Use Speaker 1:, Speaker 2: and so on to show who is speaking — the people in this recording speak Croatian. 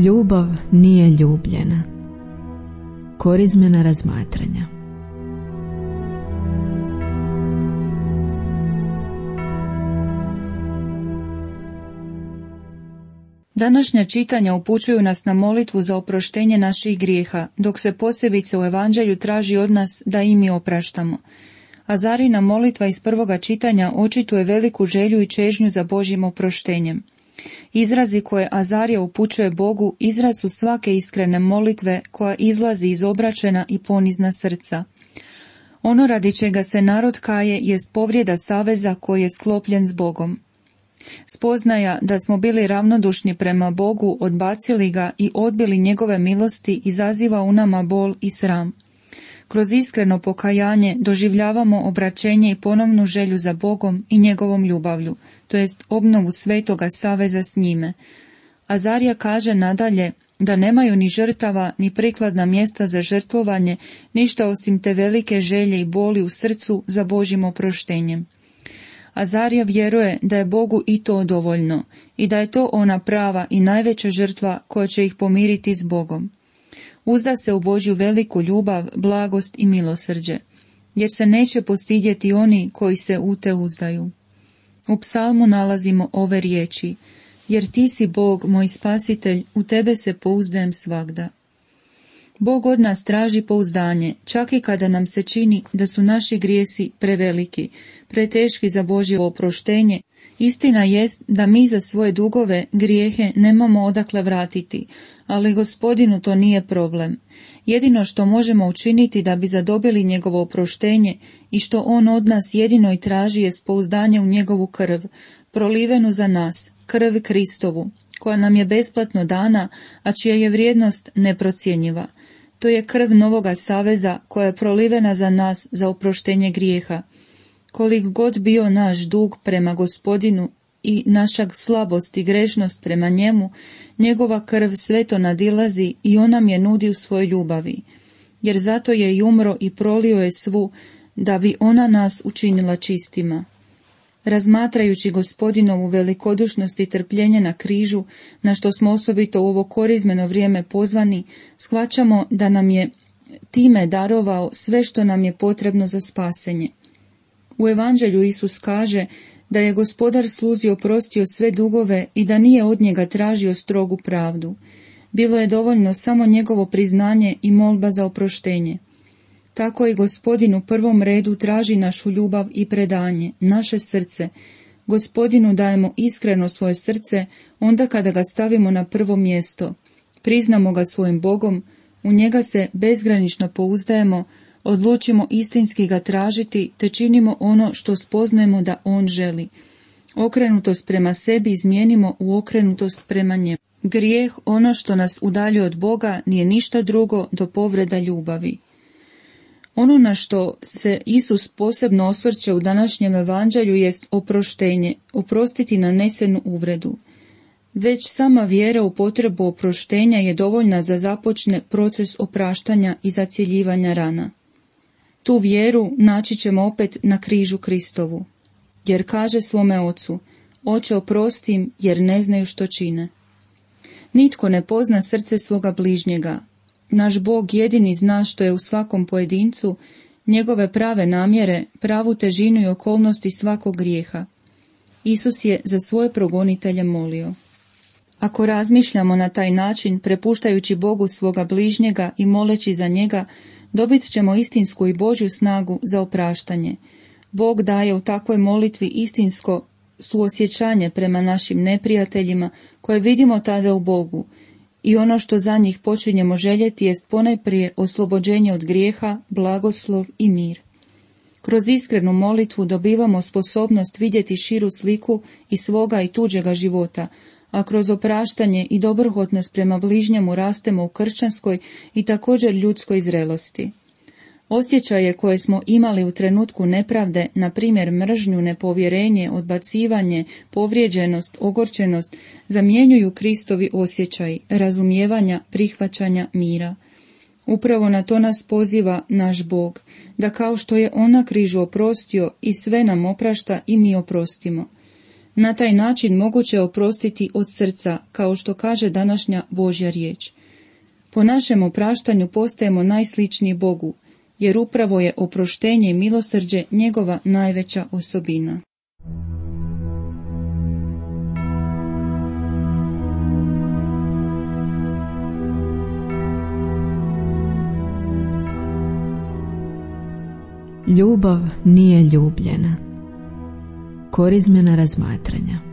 Speaker 1: Ljubav nije ljubljena. Korizmena razmatranja.
Speaker 2: Današnja čitanja upućuju nas na molitvu za oproštenje naših grijeha, dok se posebice u Evanđelju traži od nas da i mi opraštamo. Azarina molitva iz prvoga čitanja očituje veliku želju i čežnju za Božjim oproštenjem. Izrazi koje Azarija upućuje Bogu izraz su svake iskrene molitve koja izlazi iz obraćena i ponizna srca. Ono radi čega se narod kaje jest povrijeda saveza koji je sklopljen s Bogom. Spoznaja da smo bili ravnodušni prema Bogu, odbacili ga i odbili njegove milosti izaziva u nama bol i sram. Kroz iskreno pokajanje doživljavamo obraćenje i ponovnu želju za Bogom i njegovom ljubavlju, to jest obnovu svetoga saveza s njime. Azarija kaže nadalje da nemaju ni žrtava, ni prikladna mjesta za žrtvovanje, ništa osim te velike želje i boli u srcu za Božjim oproštenjem. Azarija vjeruje da je Bogu i to dovoljno i da je to ona prava i najveća žrtva koja će ih pomiriti s Bogom. Uzda se u Božju veliku ljubav, blagost i milosrđe, jer se neće postidjeti oni koji se u te uzdaju. U psalmu nalazimo ove riječi: jer ti si Bog, moj spasitelj, u tebe se pouzdajem svagda. Bog od nas traži pouzdanje, čak i kada nam se čini da su naši grijesi preveliki, preteški za Božje oproštenje. Istina jest da mi za svoje dugove, grijehe nemamo odakle vratiti, ali Gospodinu to nije problem. Jedino što možemo učiniti da bi zadobili njegovo oproštenje i što on od nas jedino i traži jest pouzdanje u njegovu krv, prolivenu za nas, krv Kristovu, koja nam je besplatno dana, a čija je vrijednost neprocjenjiva. To je krv novoga saveza koja je prolivena za nas za oproštenje grijeha. Kolik god bio naš dug prema Gospodinu i naša slabost i grešnost prema njemu, njegova krv sveto nadilazi i on nam je nudi u svojoj ljubavi. Jer zato je i umro i prolio je svu, da bi ona nas učinila čistima. Razmatrajući Gospodinovu velikodušnost i trpljenje na križu, na što smo osobito u ovo korizmeno vrijeme pozvani, shvaćamo da nam je time darovao sve što nam je potrebno za spasenje. U Evanđelju Isus kaže da je Gospodar sluzi oprostio sve dugove i da nije od njega tražio strogu pravdu. Bilo je dovoljno samo njegovo priznanje i molba za oproštenje. Tako i Gospodin u prvom redu traži našu ljubav i predanje, naše srce. Gospodinu dajemo iskreno svoje srce onda kada ga stavimo na prvo mjesto. Priznamo ga svojim Bogom, u njega se bezgranično pouzdajemo, odlučimo istinski ga tražiti te činimo ono što spoznajemo da on želi. Okrenutost prema sebi izmijenimo u okrenutost prema njemu. Grijeh, ono što nas udaljuje od Boga, nije ništa drugo do povreda ljubavi. Ono na što se Isus posebno osvrće u današnjem evanđelju jest oproštenje, oprostiti nanesenu uvredu. Već sama vjera u potrebu oproštenja je dovoljna za započne proces opraštanja i zacjeljivanja rana. Tu vjeru naći ćemo opet na križu Kristovu, jer kaže svome ocu: Oče, oprosti im, jer ne znaju što čine. Nitko ne pozna srce svoga bližnjega. Naš Bog jedini zna što je u svakom pojedincu, njegove prave namjere, pravu težinu i okolnosti svakog grijeha. Isus je za svoje progonitelje molio. Ako razmišljamo na taj način, prepuštajući Bogu svoga bližnjega i moleći za njega, dobit ćemo istinsku i Božju snagu za opraštanje. Bog daje u takvoj molitvi istinsko suosjećanje prema našim neprijateljima, koje vidimo tada u Bogu, i ono što za njih počinjemo željeti jest ponajprije oslobođenje od grijeha, blagoslov i mir. Kroz iskrenu molitvu dobivamo sposobnost vidjeti širu sliku i svoga i tuđega života, a kroz opraštanje i dobrohotnost prema bližnjemu rastemo u kršćanskoj i također ljudskoj zrelosti. Osjećaje koje smo imali u trenutku nepravde, na primjer mržnju, nepovjerenje, odbacivanje, povrijeđenost, ogorčenost, zamjenjuju Kristovi osjećaji, razumijevanja, prihvaćanja, mira. Upravo na to nas poziva naš Bog, da kao što je on na križu oprostio i sve nam oprašta i mi oprostimo. Na taj način moguće je oprostiti od srca, kao što kaže današnja Božja riječ. Po našem opraštanju postajemo najsličniji Bogu, jer upravo je oproštenje i milosrđe njegova najveća osobina.
Speaker 1: Ljubav nije ljubljena. Korizmena razmatranja.